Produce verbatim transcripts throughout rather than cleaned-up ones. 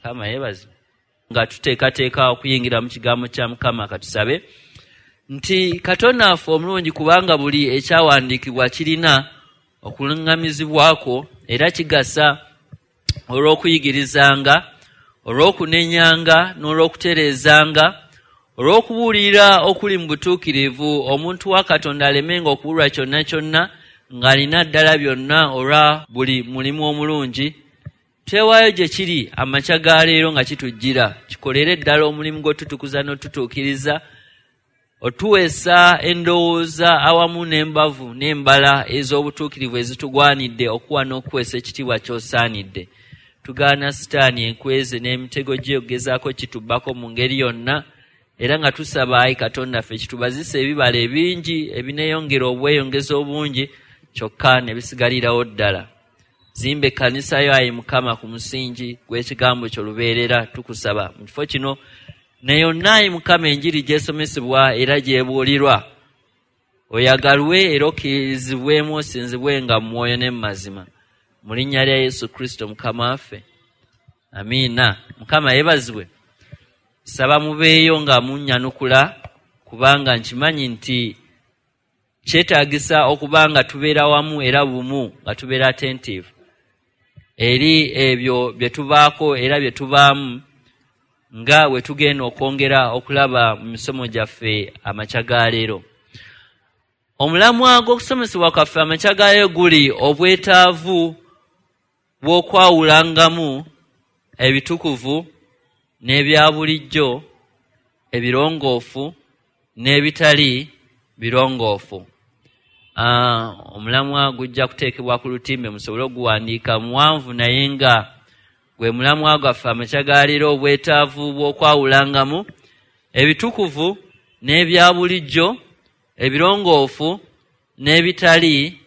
Mukama yeebazibwe. Nga tuteekateeka okuyingira mu kigambo kya Mukama, katusabe nti Katonda waffe omulungi, kubanga buli ekyawandiikibwa kirina okuluŋŋamizibwako era kigasa olw'okuyigirizanga, olw'okunenyanga n'olw'okutereezanga, olw'okubuulira okuli mu butuukirivu, omuntu wa Katonda alemenga okubulwa kyonna kyonna, ng'alina ddala byonna olwa buli mulimu omulungi. Twewaayo gye kiri amakya ga leero nga kitujjira, kikolere ddala omulimu gw'otutukuza n'otutuukiriza, otuweesa endowooza awamu n'embavu n'embala ez'obutuukirivu ezitugwanidde okuwa n'okuweesa ekitiibwa ky'osaanidde. Tugaana Sitaani enkweze n'emitego gye okugezaako kitubbako mu ngeri yonna, era nga tusaba ayi Katonda ffe kitubazise ebibala ebingi ebineeyongera obweyongeza obungi, kyokka ne bisigalirawo ddala. Zimba ekkanisa yo ayi Mukama ku musingi gw'ekigambo kyo lubeerera, tukusaba mu kifo kino ne yonna ayi Mukama enjiri gy'esomesebwa era gy'ebuulirwa, oyagalwe era okkirizibwemu osinzibwenga mu mwoyo ne mu mazima, mu linnya lya Yesu Kristo Mukama waffe, amiina. Mukama yeebazibwe. Saba mubeeyo nga munnyanukula, kubanga nkimanyi nti kyetaagisa okuba nga tubeera wamu era bumu, nga tubeera attentive eri ebyo bye tubaako era bye tubaamu, nga bwe tugenda okwongera okulaba mu misomo gyaffe amakya ga leero. Omulamwa gw'okusomesebwa kwaffe amakya ga leero guli obwetaavu bw'okwawulangamu ebitukuvu n'ebya bulijjo, ebirongoofu n'ebitali birongoofu. Ah, omulamwa gujja kuteekebwa ku lutimbe musobole okuguwandiika, muwanvu naye nga gwe mulamwa gwaffe amakya ga leero, obwetaavu bw'okwawulangamu ebitukuvu n'ebya bulijjo, ebirongoofu n'ebitali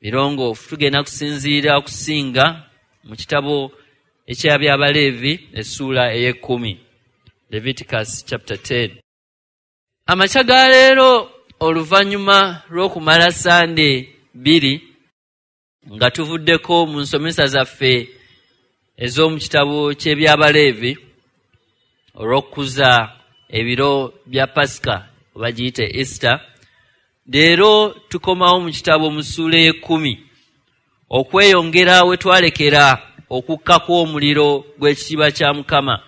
birongoofu. Tugenda kusinziira okusinga mu kitabo eky'Abyabaleevi essuula ey'ekkumi, Leviticus chapter ten. Amakya ga leero, oluvannyuma lw'okumala Sande bbiri nga tuvuddeko mu nsomesa zaffe ez'omu kitabo ky'Ebyabaleevi olw'okukuza ebiro bya Pasika oba giyite Easter, leero tukomawo mu kitabo mu ssuula ey'ekkumi okweyongera we twalekera okukka kw'omuliro gw'ekitiibwa kya Mukama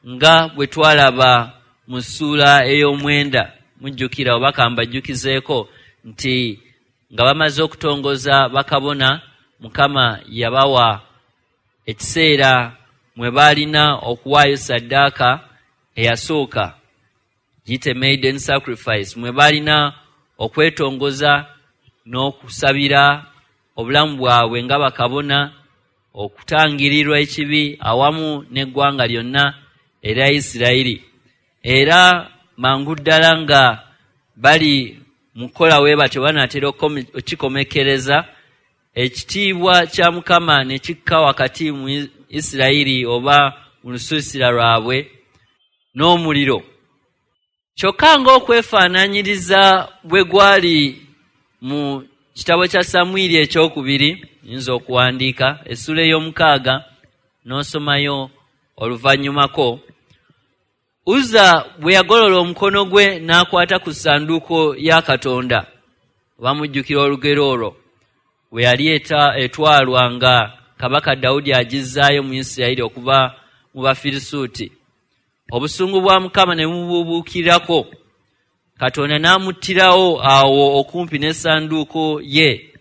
nga bwe twalaba mu ssuula ey'omwenda. Mujjukira oba kambajjukizeeko nti nga bamaze okutongoza bakabona, Mukama yabawa ekiseera mwe baalina okuwaayo ssaddaaka eyasooka, giyite maiden sacrifice, mwe baalina okwetongoza n'okusabira obulamu bwabwe nga bakabona, okutangirirwa ekibi awamu n'eggwanga lyonna erya Isirayiri. Era mangu ddala nga bali mu kukola we batyo banaatera okukikomekereza, ekitiibwa kya Mukama ne kikka wakati mu Isirayiri oba mu lusiisira lwabwe n'omuliro. Kyokka ng'okwefaanaanyiriza bwe gwali mu kitabo kya Samwiri ekyokubiri, nyinza okuwandiika essuula ey'omukaaga n'osomayo oluvannyumako, Uzza bwe yagolola omukono gwe n'akwata ku ssanduuko ya Katonda, bamujjukira olugero olwo bwe yali etwalwa nga Kabaka Dawudi agizzaayo mu Isirayiri okuva mu Bafirisuuti, obusungu bwa Mukama ne bububuukirako, Katonda n'amuttirawo awo okumpi n'essanduuko ye.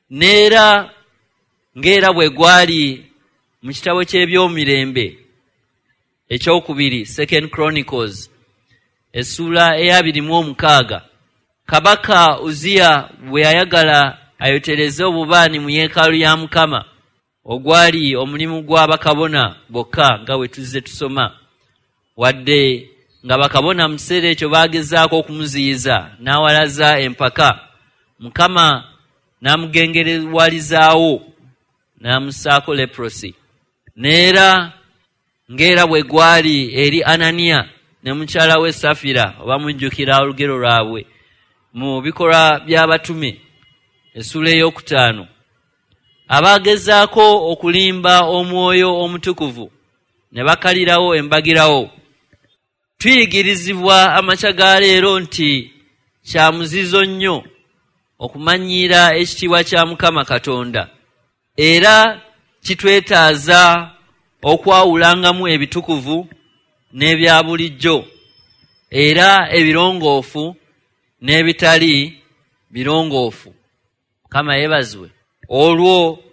N'era ng'era bwe gwali mu kitabo ky'Ebyomirembe ekyokubiri, Second Chronicles, essuula ey'abiri mu omukaaga, Kabaka Uziya bwe yayagala ayotereze obubaani mu yeekaalu ya Mukama, ogwali omulimu gwa bakabona bokka nga bwe tuzze tusoma, wadde nga bakabona mu kiseera ekyo baagezaako okumuziyiza n'awalaza empaka, Mukama n'amugengerewalizaawo n'amussaako leprosy. N'era ng'era bwe gwali eri Ananiya ne mukyala we Safira, oba mujjukira olugero lwabwe mu bikolwa by'abatume essuula ey'okutaano, abagezaako okulimba omwoyo omutukuvu ne bakalirawo embagirawo. Tuyigirizibwa amakya ga leero nti kya muzizo nnyo okumanyiira ekitiibwa kya Mukama Katonda, era kitwetaaza okwawulangamu ebitukuvu n'ebya bulijjo, era ebirongoofu n'ebitali birongoofu. Mukama yeebazibwe. Olwo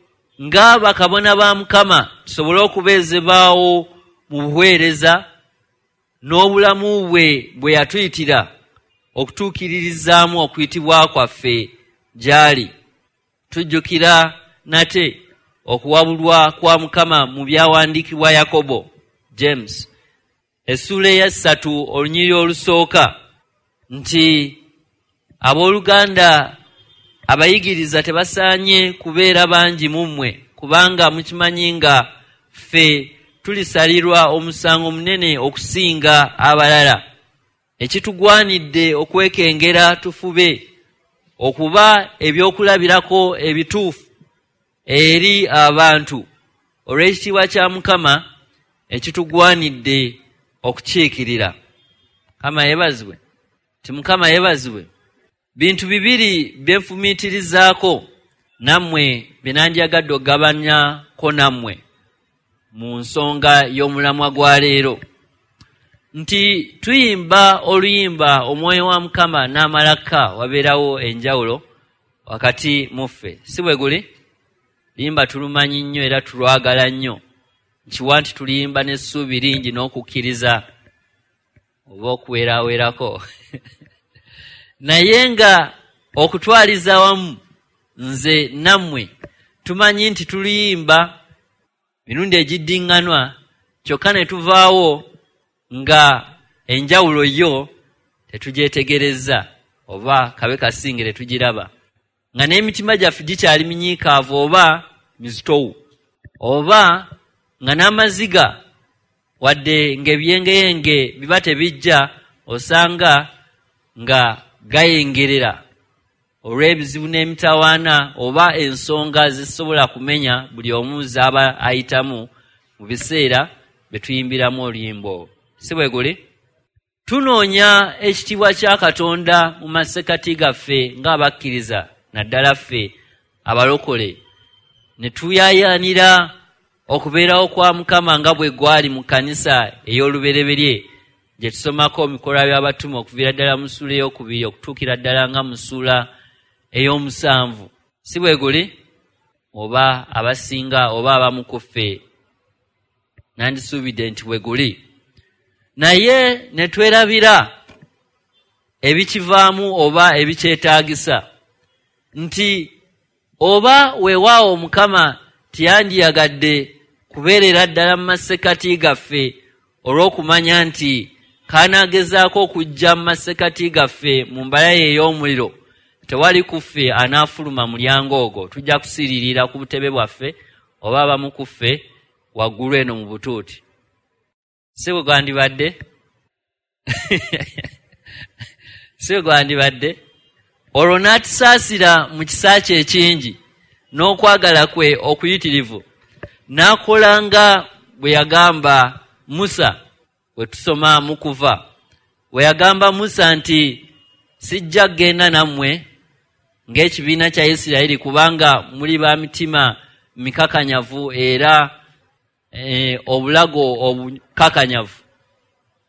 nga bakabona ba Mukama tusobole okubeezebwawo mu buweereza n'obulamu bwe bwe yatuyitira okutuukiririzaamu okuyitibwa kwaffe gy'ali. Tujjukira nate okuwabulwa kwa Mukama mu byawandiikibwa Yakobo, James, essuula eya ssatu olunyiriri olusooka, nti abooluganda abayigiriza tebasaanye kubeera bangi mu mmwe, kubanga mukimanyi nga ffe tulisalirwa omusango munene okusinga abalala. Ekitugwanidde okwekengera tufube okuba ebyokulabirako ebituufu eri abantu olw'ekitiibwa kya Mukama ekitugwanidde okukiikirira. Mukama yeebazibwe. Ti Mukama yeebazibwe. Bintu bibiri bye nfumiitirizaako nammwe bye nandyagadde okugabanyako nammwe mu nsonga y'omulamwa gwa leero, nti tuyimba oluyimba omwoyo wa Mukama n'amalaka, wabeerawo enjawulo wakati mu ffe, si bwe guli? Luyimba tulumanyi nnyo era tulwagala nnyo, nkiwa nti tuluyimba n'essuubi lingi n'okukkiriza oba okuwerawerako naye nga okutwaliza awamu nze nammwe tumanyi nti tuluyimba mirundi egiddiŋŋanwa, kyokka ne tuvaawo nga enjawulo yo tetugyetegereza oba kabe kasinge tetugiraba, nga n'emitima gyaffe gikyali minyiikaavu oba mizitowu, oba nga n'amaziga wadde ng'ebyengeyenge biba tebijja, osanga nga gayengerera olw'ebizibu n'emitawaana oba ensonga zisobola kumenya buli omu z'aba ayitamu mu biseera bye tuyimbiramu oluyimba olwo. Si bwe guli? Tunoonya ekitiibwa kya Katonda mu masekkati gaffe ng'abakkiriza, naddala ffe abalokole, ne tuyaayaanira okubeerawo kwa Mukama nga bwe gwali mu kkanisa ey'olubereberye gye tusomako mu bikolwa by'abatume okuviira ddala mu ssuula ey'okubiri okutuukira ddala nga mu ssuula ey'omusanvu. Si bwe guli? Oba abasinga oba abamu ku ffe nandisuubidde nti bwe guli, naye ne twerabira ebikivaamu oba ebikyetaagisa, nti oba weewaawo Mukama teyandiyagadde kubeerera ddala mu masekkati gaffe olw'okumanya nti kanaagezaako okujja mu masekkati gaffe mu mbala ye ey'omuliro, tewali ku ffe anaafuluma mulyango ogwo, tujja kusiiririra ku butebe bwaffe oba abamu ku ffe waggulu eno mu butuuti. Si bwe gwandibadde? Si bwe gwandibadde? Olwo n'atusaasira mu kisa kye ekingi n'okwagala kwe okuyitirivu, n'akola nga bwe yagamba Musa, bwe tusoma mu Kuva, bwe yagamba Musa nti sijja kugenda nammwe ng'ekibiina kya Isirayiri kubanga muli ba mitima mikakanyavu era e, obulago obukakanyavu,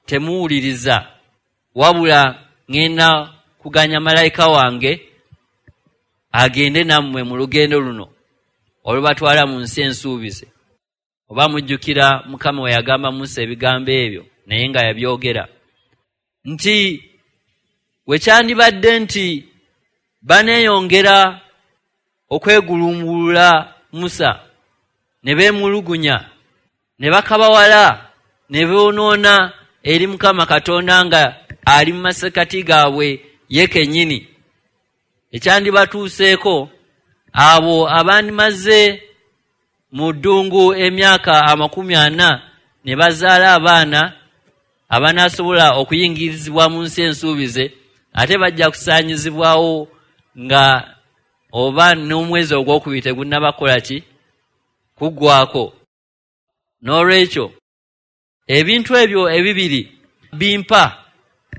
temuwuliriza, wabula ŋŋenda kuganya malayika wange agende nammwe mu lugendo luno olubatwala mu nsi ensuubize. Oba mujjukira Mukama we yagamba Musa ebigambo ebyo, naye nga yabyogera nti we kyandibadde nti baneeyongera okwegulumbulula Musa ne beemulugunya ne bakabawala ne boonoona eri Mukama Katonda nga ali mu masekkati gaabwe ye kennyini. Ekyandibatuuseeko abo abandimaze mu ddungu emyaka amakumi ana ne bazaala abaana abanaasobola okuyingirizibwa mu nsi ensuubize, ate bajja kusaanyizibwawo nga oba n'omwezi ogwokubiri tegunnabakola ki kuggwako. N'olwekyo Ebintu ebyo ebibiri bimpa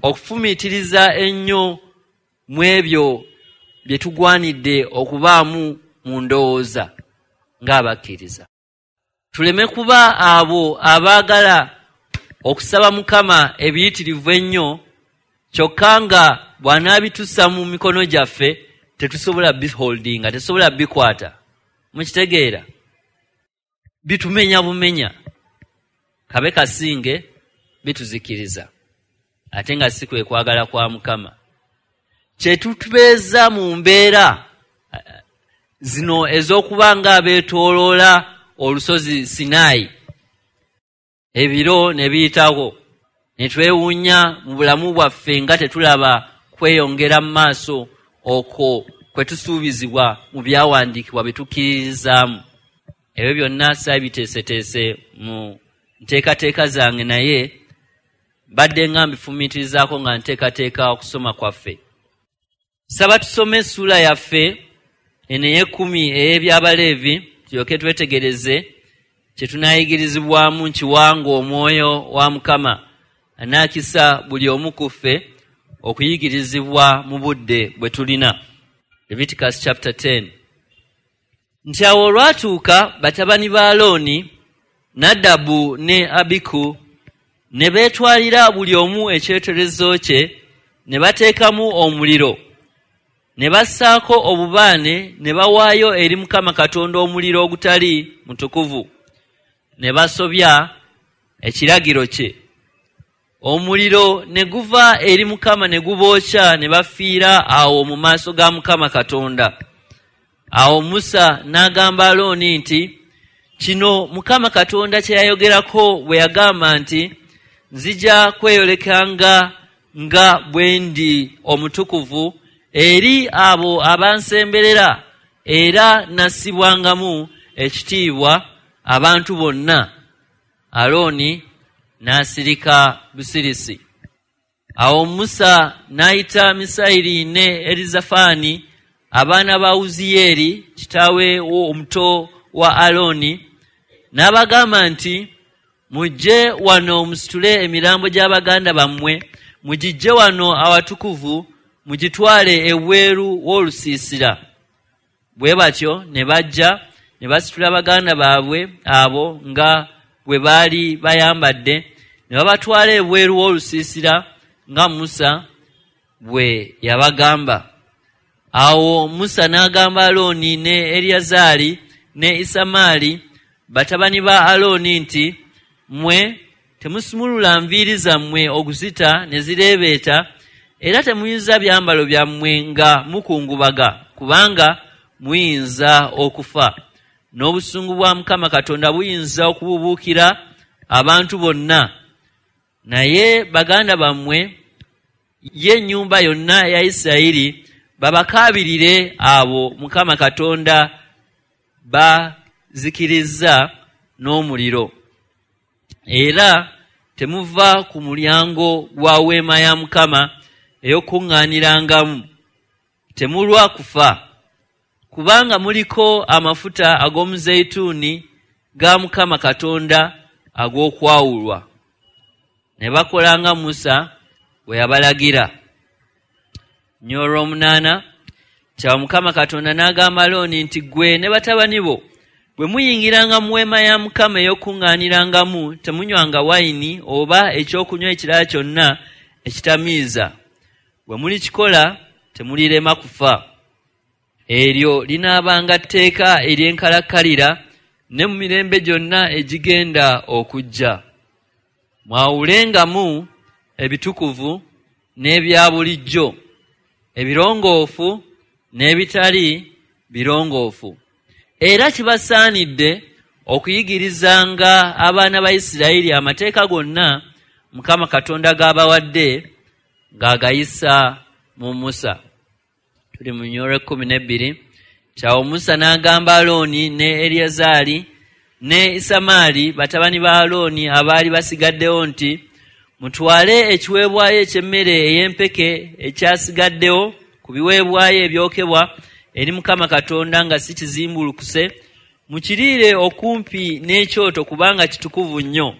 okufumiitiriza ennyo mu ebyo bye tugwanidde okubaamu mu ndowooza ng'abakkiriza. Tuleme kuba abo abaagala okusaba Mukama ebiyitirivu ennyo, kyokka nga bw'anaabitussa mu mikono gyaffe tetusobola biholdinga, tetusobola bikwata. Mukitegeera? Bitumenya bumenya, kabe kasinge bituzikiriza, ate nga si kwe kwagala kwa Mukama. Kye tutubeeza mu mbeera zino ez'okuba nga abeetooloola olusozi Sinaayi, ebiro ne biyitawo, ne twewuunya mu bulamu bwaffe nga tetulaba kweyongera mu maaso okwo kwe tusuubizibwa mu byawandiikibwa bye tukkiririzaamu. Ebyo byonna saabiteeseteese mu nteekateeka zange, naye mbadde nga mbifumiitirizaako nga nteekateeka okusoma kwaffe. Saba tusome essuula yaffe eno ey'ekkumi ey'Ebyabaleevi, tulyoke twetegereze kye tunaayigirizibwamu nkiwanga Omwoyo wa Mukama anaakisa buli omu ku ffe okuyigirizibwa mu budde bwe tulina. Leviticus chapter ten. Nti awo olwatuuka batabani ba Alooni, Nadabu ne Abiku, ne beetwalira buli omu ekyoterezo kye, ne bateekamu omuliro, ne bassaako obubaane, ne bawaayo eri Mukama Katonda omuliro ogutali mutukuvu, ne basobya ekiragiro kye. Omuliro ne guva eri Mukama ne gubookya, ne bafiira awo mu maaso ga Mukama Katonda. Awo Musa n'agamba Alooni nti, kino Mukama Katonda kye yayogerako bwe yagamba nti, nzija kweyolekanga nga bwe ndi omutukuvu eri abo abansemberera, era nassibwangamu ekitiibwa abantu bonna. Alooni n'asirika busirisi. Awo Musa n'ayita Misayiri ne Erizafaani, abaana ba Uziyeeri kitaawe omuto wa Alooni, n'abagamba nti, mujje wano musitule emirambo gy'abaganda bammwe, mugijje wano awatukuvu, mugitwale ebweru w'olusiisira. Bwe batyo ne bajja ne basitula baganda baabwe abo nga bwe baali bayambadde, ne babatwala ebweru w'olusiisira nga Musa bwe yabagamba. Awo Musa n'agamba Alooni ne Eriyazaali ne Isamaali batabani ba Alooni nti, mmwe temusumulula nviiri zammwe okuzita ne zireebeeta, era temuyuza byambalo byammwe nga mukungubaga, kubanga muyinza okufa. N'obusungu bwa Mukama Katonda buyinza okububuukira abantu bonna. Naye baganda bammwe, ye ennyumba yonna eya Isirayiri, babakaabirire abo Mukama Katonda bazikirizza n'omuliro. Era temuva ku mulyango gwa weema ya Mukama ey'okuŋŋaanirangamu, temulwa kufa, kubanga muliko amafuta ag'omuzeyituuni ga Mukama Katonda ag'okwawulwa. Ne bakola nga Musa bwe yabalagira. Nnyolo omunaana, kyawo Mukama Katonda n'agamba Alooni nti, ggwe ne batabani bo bwe muyingiranga mu weema ya Mukama ey'okuŋŋaanirangamu, temunywanga wayini oba ekyokunywa ekirala kyonna ekitamiiza. Bwe mulikikola temulirema kufa. Eryo linaabanga tteeka ery'enkalakkalira ne mu mirembe gyonna egigenda okujja. Mwawulengamu ebitukuvu n'ebya bulijjo, ebirongoofu n'ebitali birongoofu. Era kibasaanidde okuyigirizanga abaana ba Isirayiri amateeka gonna Mukama Katonda g'abawadde ng'agayisa mu Musa. Tuli mu nnyolo ekkumi n'ebbiri. Kyawo Musa n'agamba Alooni ne Eriyazaali ne Isamaali batabani ba Alooni abaali basigaddewo nti, mutwale ekiweebwayo eky'emmere ey'empeke ekyasigaddewo ku biweebwayo ebyokebwa eri Mukama Katonda nga si kizimbulukuse, mukiriire okumpi n'ekyoto kubanga kitukuvu nnyo.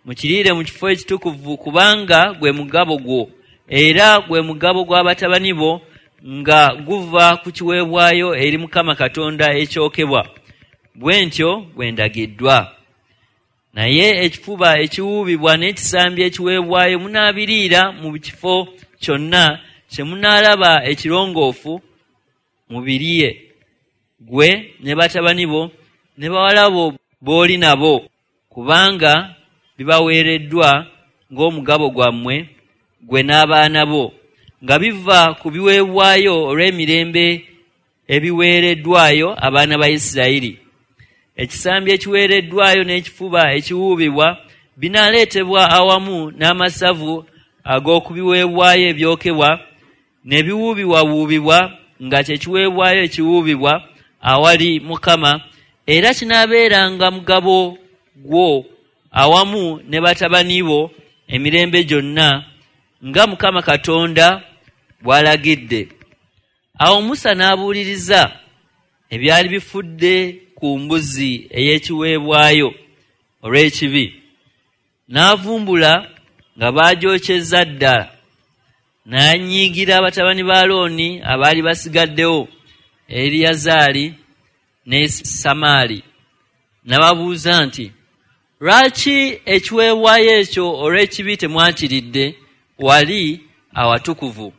Mukiriire mu kifo ekitukuvu, kubanga gwe mugabo gwo era gwe mugabo gw'abatabani bo, nga guva ku kiweebwayo eri Mukama Katonda ekyokebwa. Bwe ntyo bwe ndagiddwa. Naye ekifuba ekiwuubibwa n'ekisambi ekiweebwayo munaabiriira mu kifo kyonna kye munaalaba ekirongoofu, mubirye, ggwe ne batabani bo ne bawala bo b'oli nabo, kubanga bibaweereddwa ng'omugabo gwammwe, ggwe n'abaana bo, nga biva ku biweebwayo olw'emirembe ebiweereddwayo abaana ba Isirayiri. Ekisambi ekiweereddwayo n'ekifuba ekiwuubibwa binaaleetebwa awamu n'amasavu ag'okubiweebwayo ebyokebwa ne biwuubibwawuubibwa nga kye kiweebwayo ekiwuubibwa awali Mukama, era kinaabeeranga mugabo gwo awamu ne batabani bo emirembe gyonna, nga Mukama Katonda bw'alagidde. Awo Musa n'abuuliriza ebyali bifudde ku mbuzi ey'ekiweebwayo olw'ekibi, n'avumbula nga baagyokyezza ddala. N'anyiigira batabani ba Alooni abaali basigaddewo, Eriyazaali ne Samaali, n'ababuuza nti, lwaki ekiweebwayo ekyo olw'ekibi temwakiridde wali awatukuvu?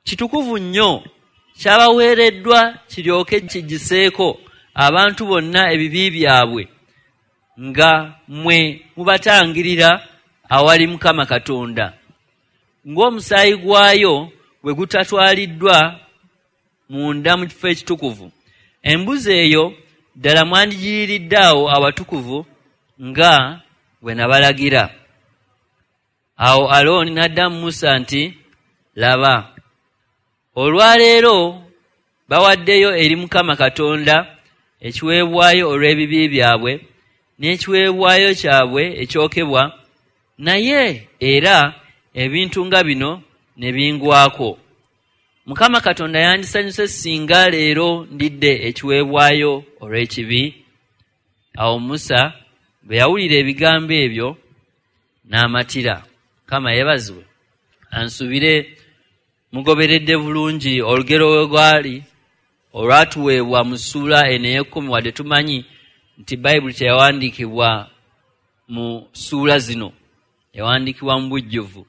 Kitukuvu nnyo, kyabaweereddwa kiryoke kigiseeko abantu bonna ebibi byabwe, nga mmwe mubatangirira awali Mukama Katonda, ng'omusaayi gwayo bwe gutatwaliddwa munda mu kifo ekitukuvu. Embuzi eyo ddala mwandigiriiridde awo awatukuvu nga bwe nabalagira. Awo Alooni n'addamu Musa nti, laba, olwaleero bawaddeyo eri Mukama Katonda ekiweebwayo olw'ebibi byabwe n'ekiweebwayo kyabwe ekyokebwa, naye era ebintu nga bino ne bingwako. Mukama Katonda yandisanyuse singa leero ndidde ekiweebwayo olw'ekibi. Awo Musa bwe yawulira ebigambo ebyo n'amatira. Mukama yeebazibwe. Ansubire mugoberedde bulungi olugero we lwali olwatuweebwa mu ssuula eno ey'ekkumi, wadde tumanyi nti Bayibuli teyawandiikibwa mu ssuula zino, yawandiikibwa mu bujjuvu.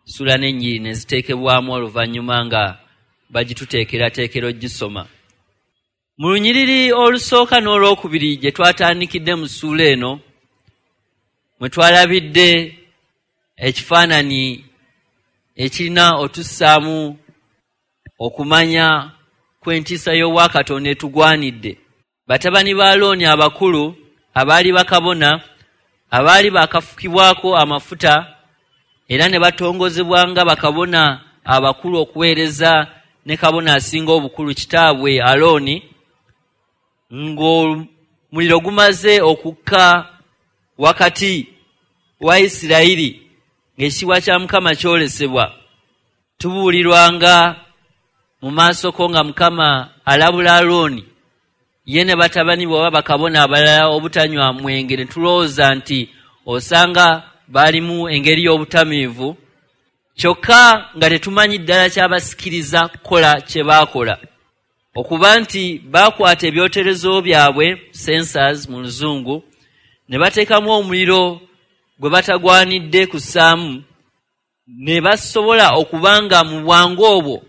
Ssuula n'ennyiriri ne ziteekebwamu oluvannyuma nga bagituteekerateekera ogisoma. Mu lunyiriri olusooka n'olwokubiri gye twatandikidde mu ssuula eno, mwe twalabidde ekifaananyi ekirina otussaamu okumanya kw'entiisa y'Obwakatonda etugwanidde. Batabani ba Alooni abakulu abaali bakabona abaali bakafukibwako amafuta era ne batongozebwa nga bakabona abakulu okuweereza ne kabona asinga obukulu kitaabwe Alooni, ng'omuliro gumaze okukka wakati wa Isirayiri ng'ekitiibwa kya Mukama kyolesebwa. Tubuulirwanga mu maaso ko nga Mukama alabula Alooni ye ne batabani be oba bakabona abalala obutanywa mwenge, ne tulowooza nti osanga baalimu engeri y'obutamiivu, kyokka nga tetumanyi ddala kyabasikiriza kukola kye baakola. Okuba nti baakwata ebyoterezo byabwe, sensors mu Luzungu, ne bateekamu omuliro gwe batagwanidde kussaamu, ne basobola okuba nga mu bwangu obwo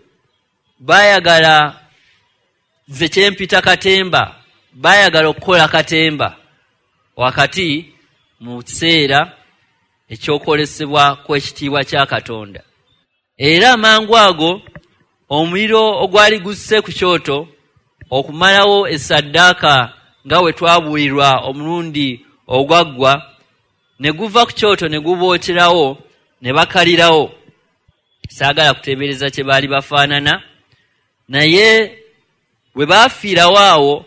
baayagala nze kyempita katemba, baayagala okukola katemba wakati mu kiseera ekyokwolesebwa kw'ekitiibwa kya Katonda. Era amangu ago omuliro ogwali gusse ku kyoto okumalawo essaddaaka nga bwe twabuulirwa omulundi ogwaggwa, ne guva ku kyoto ne gubookerawo ne bakalirawo. Saagala kuteebereza kye baali bafaanana, naye bwe baafiirawo awo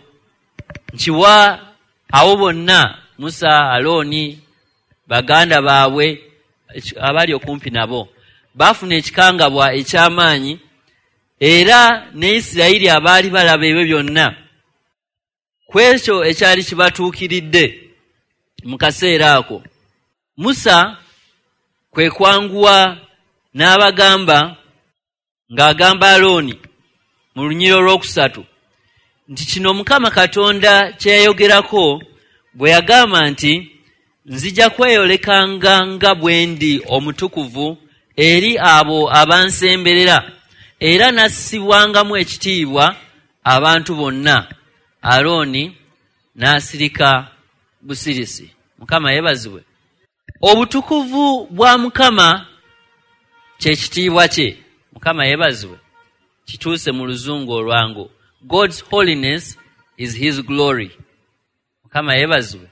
nkiwa abo bonna Musa, Alooni, baganda baabwe abali okumpi nabo baafuna ekikangabwa eky'amaanyi, era ne Isirayiri abaali balaba ebyo byonna ku ekyo ekyali kibatuukiridde mu kaseera ako. Musa kwe kwanguwa n'abagamba ng'agamba Alooni mu lunyiriri olwokusatu nti kino Mukama Katonda kye yayogerako bwe yagamba nti nzija kweyolekanga nga bwe ndi omutukuvu eri abo abansemberera era nassibwangamu ekitiibwa abantu bonna. Alooni n'asirika busirisi. Mukama yeebazibwe. Obutukuvu bwa Mukama kye kitiibwa kye. Mukama yeebazibwe. Kituuse mu luzungu olwangu. God's holiness is his glory. Mukama yeebazibwe.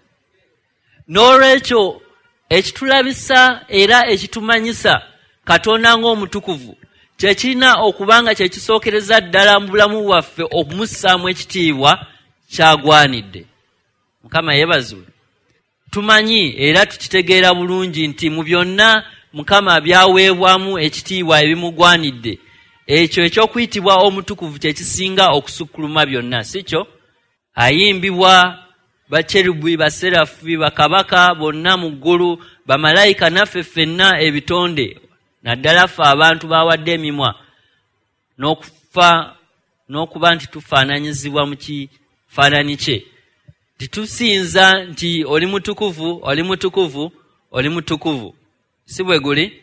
N'olwekyo ekitulabisa era ekitumanyisa Katonda ng'omutukuvu kye kirina okuba nga kye kisookereza ddala mu bulamu bwaffe okumussaamu ekitiibwa kyagwanidde. Mukama yeebazibwe. Tumanyi era tukitegeera bulungi nti mu byonna Mukama byaweebwamu ekitiibwa ebimugwanidde. Ekyo eky'okuyitibwa omutukuvu kye kisinga okusukkuluma byonna, si kyo? Ayimbibwa bakerubi, baserafi, bakabaka bonna mu ggulu, bamalayika naffe ffenna ebitonde, naddala ffe abantu bawadde emimwa n'okufa n'okuba nti tufaananyizibwa mu kifaananyi kye. Titusinza nti oli mutukuvu, oli mutukuvu, oli mutukuvu. Si bwe guli?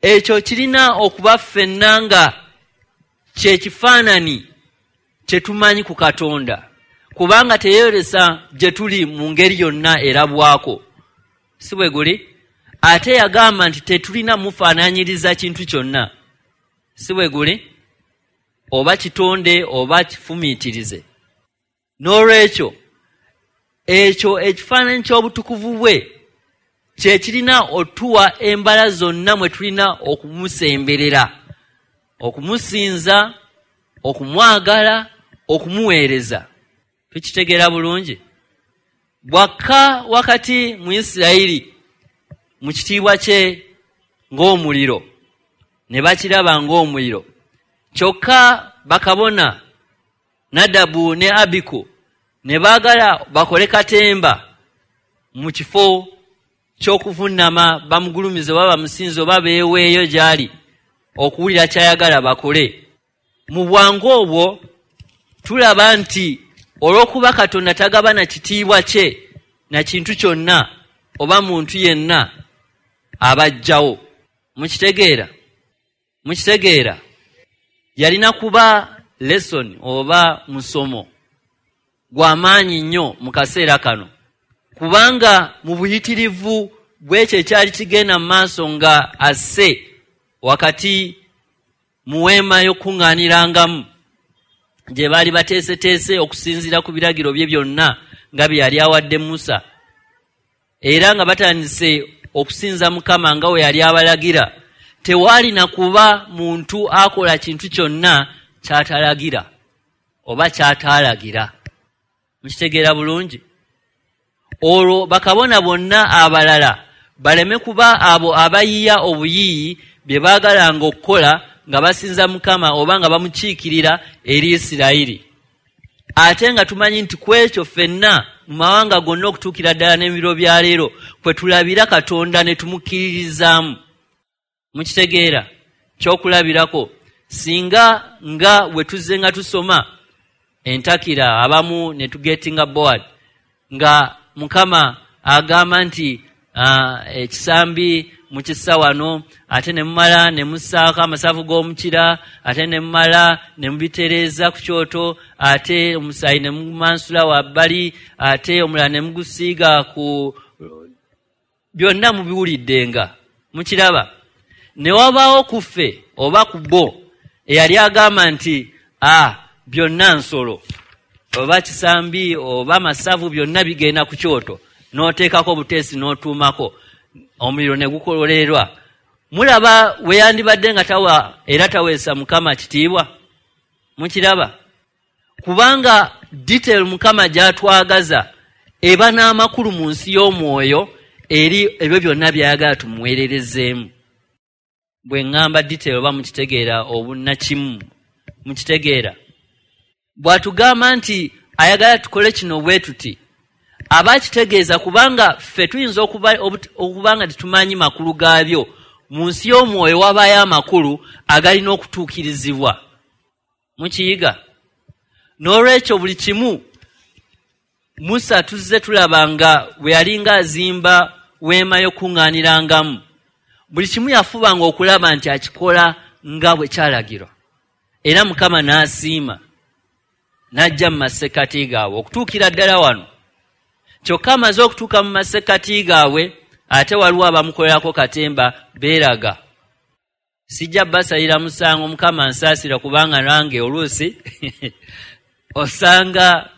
Ekyo kirina okuba ffenna nga kye kifaananyi kye tumanyi ku Katonda, kubanga teyeyolesa gye tuli mu ngeri yonna erabwako. Si bwe guli? Ate yagamba nti tetulina mufaananyiriza kintu kyonna. Si bwe guli? Oba kitonde oba kifumiitirize. N'olwekyo ekyo ekifaananyi ky'obutukuvu bwe kye kirina otuwa embala zonna mwe tulina okumusemberera, okumusinza, okumwagala, okumuweereza. Tukitegeera bulungi. Bwakka wakati mu Isirayiri mu kitiibwa kye ng'omuliro, ne bakiraba ng'omuliro. Kyokka bakabona Nadabu ne Abiku ne baagala bakole katemba mu kifo ky'okuvunnama bamugulumize oba bamusinze oba beeweeyo gy'ali okuwulira ky'ayagala bakole. Mu bwangu obwo tulaba nti olw'okuba Katonda tagabana kitiibwa kye na kintu kyonna oba muntu yenna abajjawo. Mukitegeera? Mukitegeera? Yalina kuba lesson oba musomo gwa maanyi nnyo mu kaseera kano, kubanga mu buyitirivu bw'ekyo ekyali kigenda mu maaso nga asse wakati mu weema y'okuŋŋaanirangamu gye baali bateeseteese okusinziira ku biragiro bye byonna nga bye yali awadde Musa, era nga batandise okusinza Mukama nga we yali abalagira, tewaalina kuba muntu akola kintu kyonna ky'atalagira oba ky'ataalagira. Mukitegeera bulungi? Olwo bakabona bonna abalala baleme kuba abo abayiiya obuyiiyi bye baagalanga okukola nga basinza Mukama oba nga bamukiikirira eri Isirayiri. Ate nga tumanyi nti ku ekyo ffenna mu mawanga gonna okutuukira ddala n'ebiro bya leero kwe tulabira Katonda ne tumukkiririzaamu. Mukitegeera? Kyokulabirako singa nga bwe tuzze nga tusoma entakira abamu ne tugetinga board nga Mukama agamba nti ekisambi mukissa wano, ate ne mumala ne mussaako amasavu g'omukira, ate ne mumala ne mubitereeza ku kyoto, ate omusaayi ne mumansula wabbali, ate omulala ne mugusiiga ku byonna mubiwuliddenga. Mukiraba? Ne wabaawo ku ffe oba ku bo eyali agamba nti ah byonna nsolo oba kisambi oba masavu byonna bigenda ku kyoto, n'oteekako obuteesi n'otuumako omuliro ne gukolerwa. Mulaba we yandibadde nga tawa era taweesa Mukama kitiibwa. Mukiraba? Kubanga detail Mukama gy'atwagaza eba n'amakulu mu nsi y'omwoyo eri ebyo byonna by'ayagala tumuweererezeemu. Bwe ŋŋamba detail oba mukitegeera obunnakimu, mukitegeera? Bw'atugamba nti ayagala tukole kino bwe tuti, Aba akitegeeza kubanga ffe tuyinza okuba nga tetumanyi makulu gaabyo. Mu nsi y'omwoyo wabaayo amakulu agalina okutuukirizibwa. Mukiyiga? N'olwekyo buli kimu Musa tuzze tulaba nga bwe yalinga azimba weema y'okuŋŋaanirangamu, buli kimu yafubanga okulaba nti akikola nga bwe kyalagirwa, era Mukama n'asiima n'ajja mu masekkati gaabwe okutuukira ddala wano. Kyokka amaze okutuuka mu masekkati gaabwe, ate waliwo abamukolerako katemba beeraga. Sijja basalira musango, Mukama nsaasira, kubanga nange oluusi osanga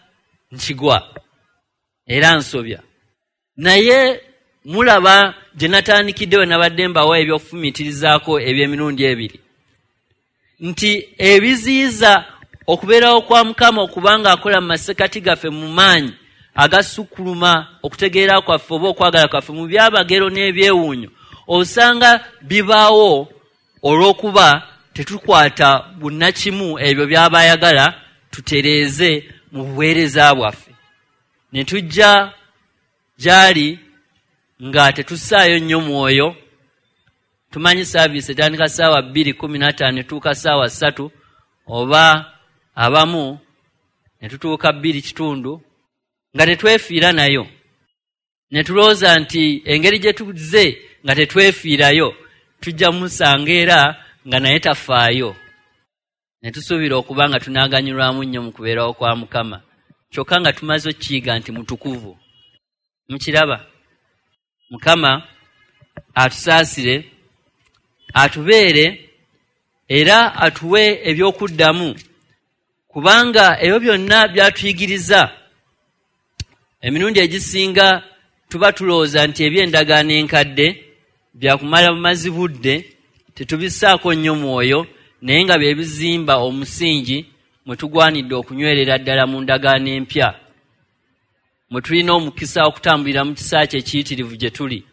nkigwa era nsobya. Naye mulaba gye natandikidde we nabadde mbawa ebyokufumiitirizaako eby'emirundi ebiri, nti ebiziyiza okubeerawo kwa Mukama okubanga akola mu masekkati gaffe mu maanyi agasukkuluma okutegeera kwaffe oba okwagala kwaffe mu byabagero n'ebyewuunyo, osanga bibaawo olw'okuba tetukwata bunnakimu ebyo by'aba ayagala tutereeze mu buweereza bwaffe. Ne tujja gy'ali nga tetussaayo nnyo mwoyo. Tumanyi saaviisi etandika ssaawa bbiri kkumi na ttaano netuuka ssaawa ssatu, oba abamu ne tutuuka bbiri kitundu nga tetwefiira nayo. Ne tulowooza nti engeri gye tuzze nga tetwefiirayo tujja musanga era nga naye tafaayo. Ne tusuubira okuba nga tunaaganyulwamu nnyo mu kubeerawo kwa Mukama, kyokka nga tumaze okkiyiga nti mutukuvu. Mukiraba? Mukama atusaasire, atubeere era atuwe ebyokuddamu, kubanga ebyo byonna byatuyigiriza. Emirundi egisinga tuba tulowooza nti eby'endagaano enkadde byakumala bumazi budde, tetubissaako nnyo mwoyo, naye nga bye bizimba omusingi mwe tugwanidde okunywerera ddala mu ndagaano empya, mwe tulina omukisa okutambulira mu kisa kye ekiyitirivu gye tuli,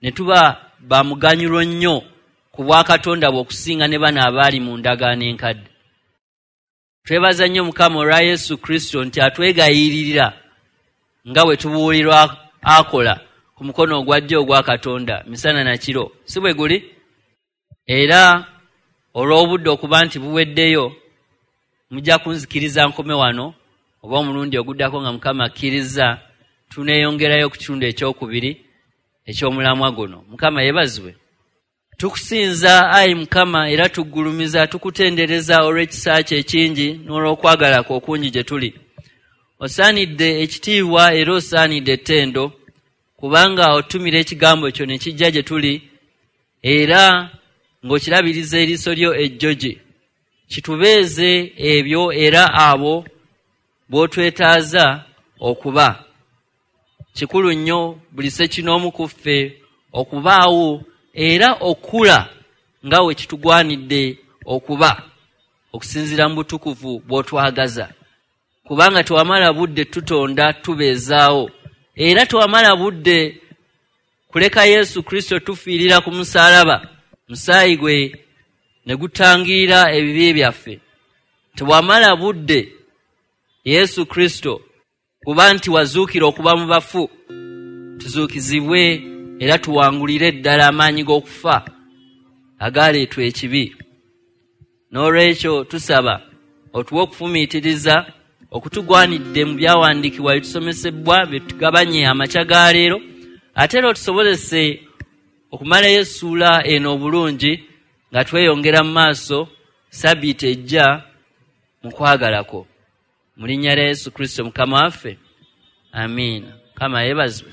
ne tuba ba muganyulo nnyo ku bwakatonda bwe okusinga ne bano abaali mu ndagaano enkadde. Twebaza nnyo Mukama olwa Yesu Kristo nti atwegayiririra nga bwe tubuulirwa akola ku mukono ogwa ddyo ogwa Katonda misana na kiro, si bwe guli? Era olw'obudde okuba nti buweddeyo, mujja kunzikiriza nkome wano, oba omulundi oguddako nga Mukama akkiriza tuneeyongerayo ku kitundu ekyokubiri eky'omulamwa guno. Mukama yeebazibwe. Tukusinza ayi Mukama era tuggulumiza, tukutendereza olw'ekisa kyo ekingi n'olw'okwagala kwo okungi gye tuli. Osaanidde ekitiibwa era osaanidde ettendo, kubanga otumira ekigambo kyo ne kijja gye tuli, era ng'okirabiriza eriiso lyo ejjogi. Kitubeeze ebyo era abo b'otwetaaza okuba. Kikulu nnyo buli ssekinoomu ku ffe okubaawo era okula nga we kitugwanidde okuba, okusinziira mu butukuvu bw'otwagaza. Kubanga tewamala budde tutonda tubeezaawo, era tewamala budde kuleka Yesu Kristo tufiirira ku musaalaba, musaayi gwe ne gutangirira ebibi byaffe. Tewamala budde Yesu Kristo kuba nti wazuukira okuba mu bafu, tuzuukizibwe era tuwangulire ddala amaanyi g'okufa agaleetwa ekibi. N'olwekyo tusaba otuwe okufumiitiriza okutugwanidde mu byawandiikibwa bye tusomesebwa bye tugabanye amakya ga leero, ate era otusobozese okumalayo essuula eno obulungi nga tweyongera mu maaso sabbiiti ejja mu kwagalako. Mu linnya lya Yesu Kristo Mukama waffe, amiina. Mukama yeebazibwe.